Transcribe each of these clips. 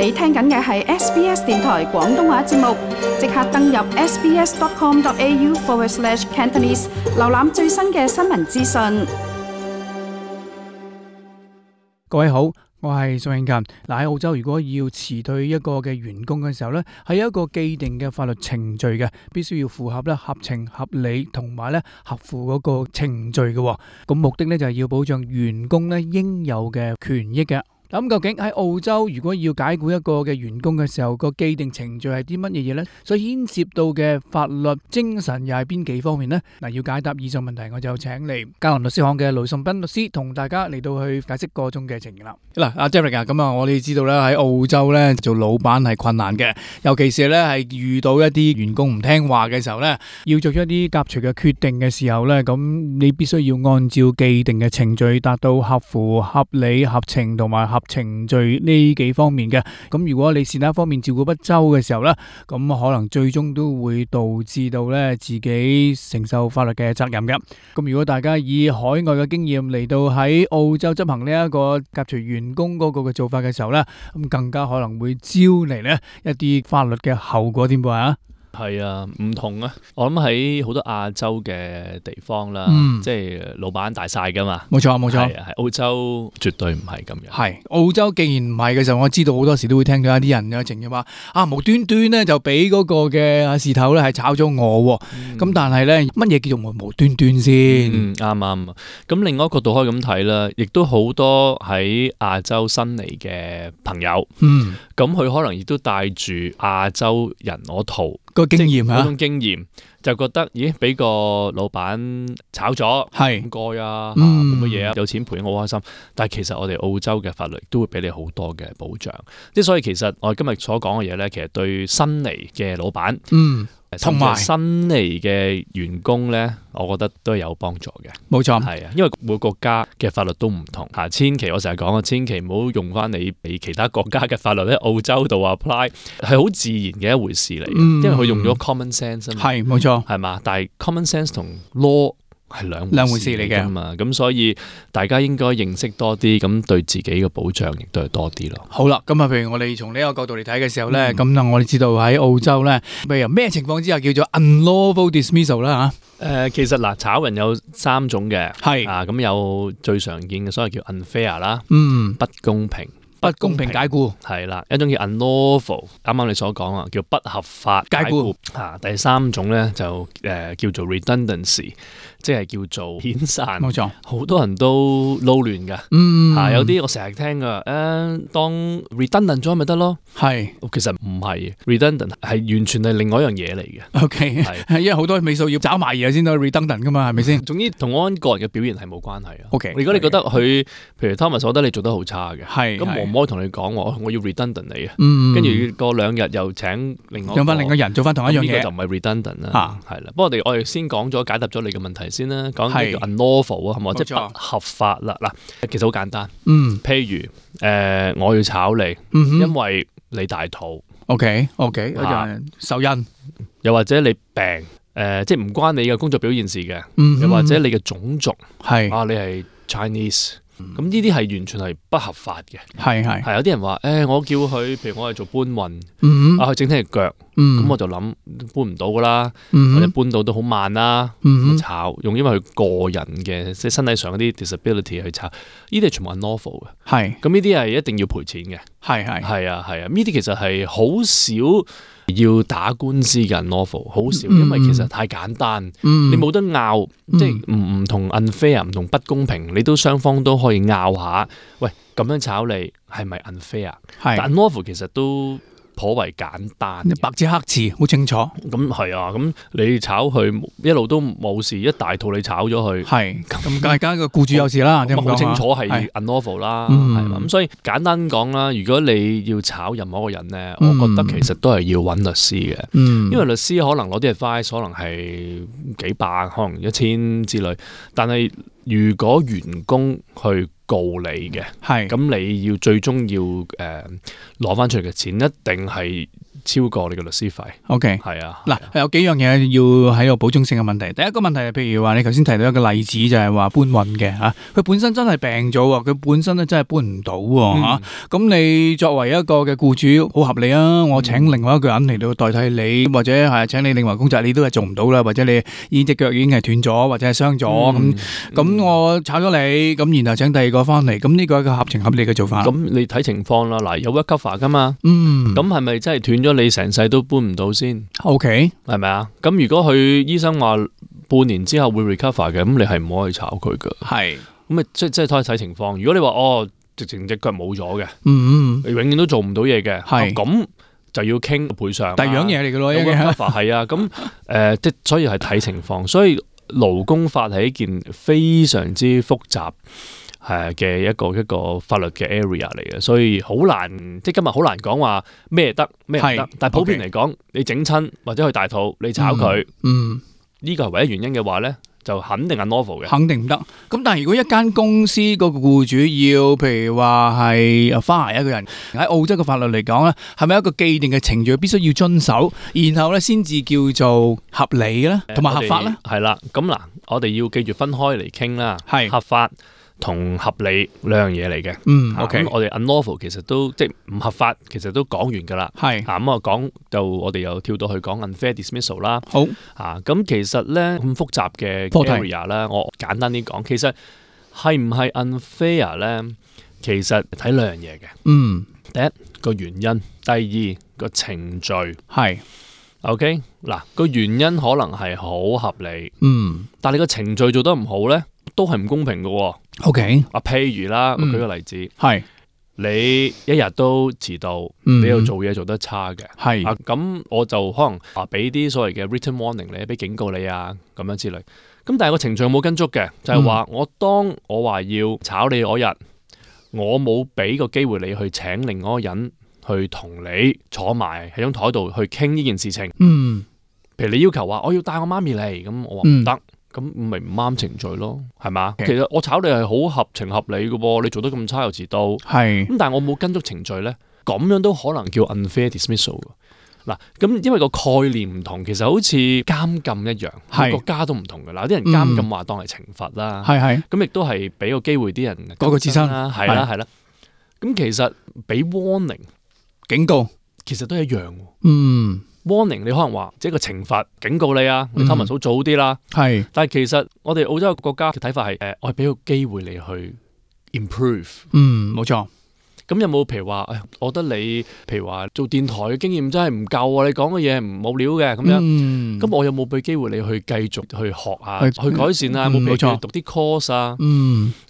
你聽緊嘅係 SBS 電台廣東話節目，即刻登入 sbs.com.au/Cantonese 瀏覽最新嘅新聞資訊。各位好，我係宋慶勤。喺澳洲，如果要辭退一個嘅員工嘅時候呢，係有一個既定嘅法律程序嘅，必須要符合合情合理同埋合乎嗰個程序嘅。咁目的呢，就係要保障員工呢應有嘅權益嘅。咁究竟喺澳洲，如果要解僱一個嘅員工嘅時候，個既定程序係啲乜嘢嘢呢？所以牽涉到嘅法律精神又係邊幾方面呢？嗱，要解答以上問題，我就請嚟嘉麟律師行嘅盧頌彬律師同大家嚟到去解釋個中嘅情形啦。嗱，阿 Derek 啊，咁啊，我哋知道咧喺澳洲咧做老闆係困難嘅，尤其是咧係遇到一啲員工唔聽話嘅時候咧，要做出一啲革除嘅決定嘅時候咧，咁你必須要按照既定嘅程序，達到合乎合理、合情同埋合程序呢幾方面嘅。咁如果你是哪一方面照顧不周嘅時候咧，咁可能最終都會導致到咧自己承受法律嘅責任嘅。咁如果大家以海外嘅經驗嚟到喺澳洲執行呢一個革除員工嗰個嘅做法嘅時候咧，咁更加可能會招嚟咧一啲法律嘅後果點啊？係啊，唔同啊！我諗喺好多亞洲嘅地方啦，即係老闆大晒噶嘛。冇錯冇錯，係澳洲絕對唔係咁樣。係澳洲既然唔係嘅時候，我知道好多時都會聽到一啲人有情嘅話，無端端咧就俾嗰個嘅事頭咧係炒咗我。咁但係咧乜嘢叫做無端端先？啱啱。咁另外一個角度可以咁睇啦，亦都好多喺亞洲新嚟嘅朋友。咁佢可能亦都帶住亞洲人嗰套個經驗嗰種經驗，就覺得咦，俾個老闆炒咗，係唔該啊，冇乜嘢啊，有錢賠我好開心。但係其實我哋澳洲嘅法律都會俾你好多嘅保障，即係所以其實我哋今日所講嘅嘢咧，其實對新嚟嘅老闆，同埋新嚟嘅員工咧，我覺得都係有幫助嘅。冇錯，係啊，因為每個國家嘅法律都唔同嚇，千祈我成日講啊，千祈唔好用翻你俾其他國家嘅法律喺澳洲度 apply， 係好自然嘅一回事嚟嘅，因為佢用咗 common sense 啊嘛。係冇錯，係嘛？但係 common sense 同 law係兩回事嚟嘅嘛，咁所以大家應該認識多啲，咁對自己嘅保障亦都係多啲咯。好啦，咁譬如我哋從呢個角度嚟睇嘅時候咧，咁我哋知道喺澳洲咧，譬如咩情況之下叫做 unlawful dismissal 啦嚇？其實炒人有3種嘅，係咁有最常見嘅，所謂叫 unfair 啦，不公平。不公平解僱係啦，一種叫 unlawful， 啱啱你所講啊，叫不合法解僱。第3種咧就叫做 redundancy， 即係叫做遣散。冇錯，好多人都撈亂㗎。有啲我成日聽㗎，當 redundant 咗咪得咯？係，其實唔係 redundant 係完全係另外一樣嘢嚟嘅。OK， 係因為好多尾數要找埋嘢先到 redundant 㗎嘛，係咪先？總之同我個人嘅表現係冇關係啊。OK，如果你覺得佢，譬如 Thomas，我覺得你做得好差嘅，咁唔可以同你講我要 redundant 你啊，跟住過2日又請用翻另一個人做翻同一樣嘢，呢個就唔係 redundant 啦，係啦。不過我哋先講咗解答咗你嘅問題先啦，講叫 unlawful 啊，係咪？即係不合法啦。嗱，其實好簡單。譬如我要炒你，因為你大肚。OK，受孕，又或者你病，即係唔關你嘅工作表現事嘅，又或者你嘅種族係你係 Chinese。咁呢啲係完全係不合法嘅，係有啲人話，我叫佢，譬如我係做搬運，佢整親隻腳，咁我就諗搬唔到噶啦，或者搬到都好慢啦，炒用因為佢個人嘅即係身體上嗰啲 disability 去炒，呢啲係全部係 unlawful 嘅，咁呢啲係一定要賠錢嘅，係啊，呢啲其實係好少要打官司嘅 unlawful， 好少，因為其實太簡單，你冇得拗，即係唔同 unfair， 唔同不公平，你都雙方都可以拗下，喂，咁樣炒你係咪 unfair？ 但 unlawful 其實都頗為簡單，白紙黑字好清楚。咁係啊，咁你炒佢一路都冇事，一大套你炒咗佢，係咁大家個僱主有事啦，咁好清楚係 unlawful 啦，係嘛？咁所以簡單講啦，如果你要炒任何一個人咧，我覺得其實都係要揾律師嘅，因為律師可能攞啲 advice， 可能係幾百，可能1000之類，但係如果員工去告你嘅，咁你要最終要攞翻出嚟嘅錢，一定係超過你嘅律師費。OK， 係啊。嗱，有幾樣嘢要喺度補充性嘅問題。第一個問題係，譬如話你頭先提到一個例子，就係話搬運嘅嚇，佢本身真係病咗喎，佢本身咧真係搬唔到喎嚇。咁你作為一個嘅僱主，好合理啊！我請另外一個人嚟到代替你，或者係請你另外工作，你都係做唔到啦，或者你已經隻腳已經係斷咗，或者係傷咗咁我炒咗你，咁然後請第二個翻嚟，咁呢個係一個合情合理嘅做法。咁你睇情況啦，嗱有 work cover 噶嘛，咁係咪真係斷咗你成世都搬唔到先 ？OK， 係咪啊？咁如果佢醫生話半年之後會 recover 嘅，咁你係唔可以炒佢噶。係，咁即係睇情況。如果你話直情隻腳冇咗嘅，你永遠都做唔到嘢嘅，咁就要傾賠償。第二樣嘢嚟嘅咯，有 work cover 係啊，咁所以係睇情況。所以勞工法係一件非常之複雜嘅一個法律嘅 area 嚟嘅，所以好難，即係今日好難講話咩得咩唔得。但係普遍嚟講，你整親或者去大肚，你炒佢，呢個係唯一原因嘅話咧，就肯定係 unlawful 嘅，肯定唔得。咁但係如果一間公司個僱主要，譬如話係fire一個人，喺澳洲嘅法律嚟講咧，係咪一個既定嘅程序必須要遵守，然後咧先至叫做合理咧，同埋合法咧？係啦，咁嗱，我哋要記住分開嚟傾啦，係合法同合理兩樣嘢嚟嘅。OK，我哋 unlawful 其實都即係唔合法，其實都講完㗎啦。係咁啊，講就我哋又跳到去講 unfair dismissal 啦。好咁其實咧咁複雜嘅 area 咧，我簡單啲講，其實係唔係 unfair 咧？其實睇兩樣嘢嘅。第一個原因，第二個程序。係 OK 嗱，個原因可能係好合理。但係你個程序做得唔好咧，都係唔公平嘅。OK， 譬如啦，我舉個例子，係你一日都遲到，你又做嘢做得差嘅，係咁我就可能俾啲所謂嘅 written warning 你，俾警告你啊，咁樣之類。咁但係個程序冇跟足嘅，就係話當我話要炒你嗰日，我冇俾個機會你去請另外一個人去同你坐埋喺張台度去傾呢件事情。譬如你要求話我要帶我媽咪嚟，咁我話唔得。咁咪唔啱程序咯，係嘛？其實我炒你係好合情合理嘅喎，你做得咁差又遲到，係咁，但係我冇跟足程序咧，咁樣都可能叫 unfair dismissal。嗱，咁因為個概念唔同，其實好似監禁一樣，係國家都唔同嘅啦。啲人監禁話當係懲罰啦，係咁亦都係俾個機會啲人改過自身啦，係啦係啦。咁其實俾 warning 警告，其實都一樣。warning 你可能話即係個懲罰警告你啊，你偷文數早啲啦。係，但係其實我哋澳洲嘅國家嘅睇法係我係俾個機會你去 improve。冇錯。咁有冇譬如話，我覺得你譬如話做電台嘅經驗真係唔夠啊，你講嘅嘢唔冇料嘅咁樣。咁我有冇俾機會你去繼續去學啊，去改善啊？有冇俾你讀啲 course 啊？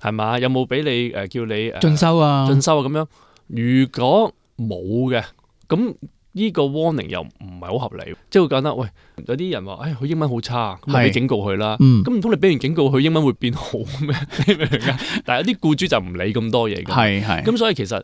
係嘛？有冇俾你叫你進修啊咁樣？如果冇嘅，咁呢個 warning 又唔係好合理，即係會覺得喂，有啲人話，佢英文好差，咁咪俾警告佢啦。咁唔通你俾完警告佢英文會變好咩？你明唔明啊？但係有啲僱主就唔理咁多嘢嘅。咁所以其實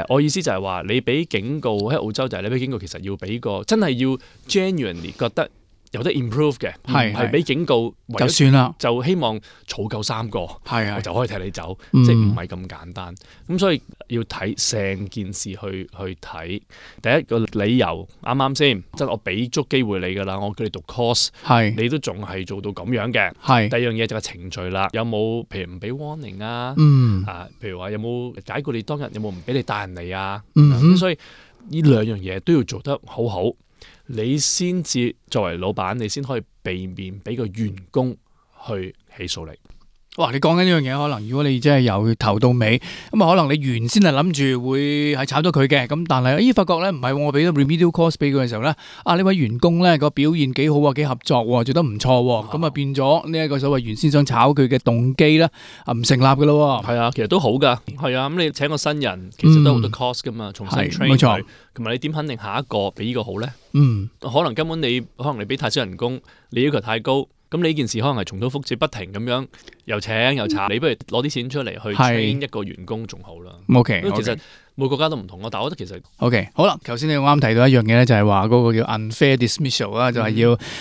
我意思就係話，你俾警告喺澳洲就係你俾警告，其實要俾個真係要 genuinely 覺得有得 improve 嘅，係俾警告就算啦，就希望儲夠3個，我就可以踢你走，即係唔係咁簡單。咁所以要睇成件事去睇。第一個理由啱啱先，即係我俾足機會你噶啦，我叫你讀 course， 你都仲係做到咁樣嘅。第二樣嘢就係程序啦，有冇譬如唔俾 warning 啊？譬如話有冇解僱你當日有冇唔俾你帶人嚟啊？所以呢兩樣嘢都要做得好好。你先至作為老闆，你先可以避免俾個員工去起訴你。哇！你講緊呢樣嘢，可能如果你真係由頭到尾，咁啊可能你原先係諗住會係炒咗佢嘅，咁但係發覺咧唔係，我俾咗 remedial course 俾佢嘅時候咧，呢位員工咧個表現幾好啊，幾合作喎，做得唔錯喎，咁啊變咗呢一個所謂原先想炒佢嘅動機咧唔成立㗎咯。係啊，其實都好㗎。係啊，咁你請個新人其實都好多 cost 㗎嘛，重新 train 佢，同埋你點肯定下一個比呢個好咧？可能根本你俾太少人工，你要求太高。咁你呢件事可能係重蹈覆轍，不停咁樣又請又炒，你不如攞啲錢出嚟去 train 一個員工仲好啦。OK，其實每個國家都唔同咯。但係我覺得其實 OK 好啦，頭先你啱提到一樣嘢咧，就係話嗰個叫 unfair dismissal 啦，就係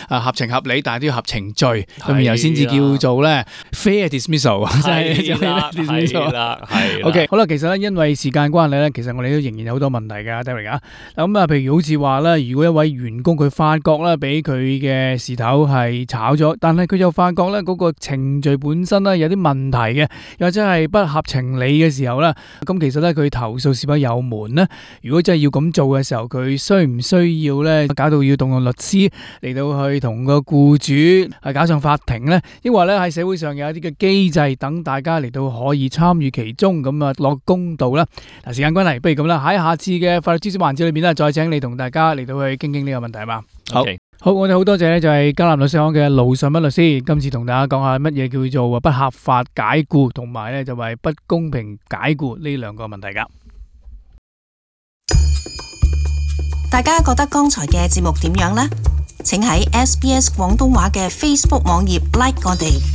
要合情合理，但係都要合程序，咁然後先至叫做咧 fair dismissal。係啦。OK 好啦，其實咧因為時間關係咧，其實我哋都仍然有好多問題㗎 Derek 啊。咁啊，譬如好似話咧，如果一位員工佢發覺咧俾佢嘅事頭係炒咗，但係佢又發覺咧嗰個程序本身咧有啲問題嘅，又或者係不合情理嘅時候咧，咁其實咧佢投訴是否有門呢？如果真係要咁做嘅時候，佢需唔需要咧搞到要動用律師嚟到去同個僱主係搞上法庭呢？抑或咧喺社會上有一啲嘅機制等大家嚟到可以參與其中，咁啊落公道啦。嗱，時間關係，不如咁啦，喺下次嘅法律知識環節裏面咧，再請你同大家嚟到去傾傾呢個問題係嘛？好，我哋好多謝咧，就係迦南律師行嘅盧尚乜律師，今次同大家講下乜嘢叫做不合法解僱，同埋咧就係不公平解僱呢兩個問題噶。大家覺得剛才嘅節目點樣呢？請喺SBS 廣東話嘅 Facebook 網頁 like 我哋。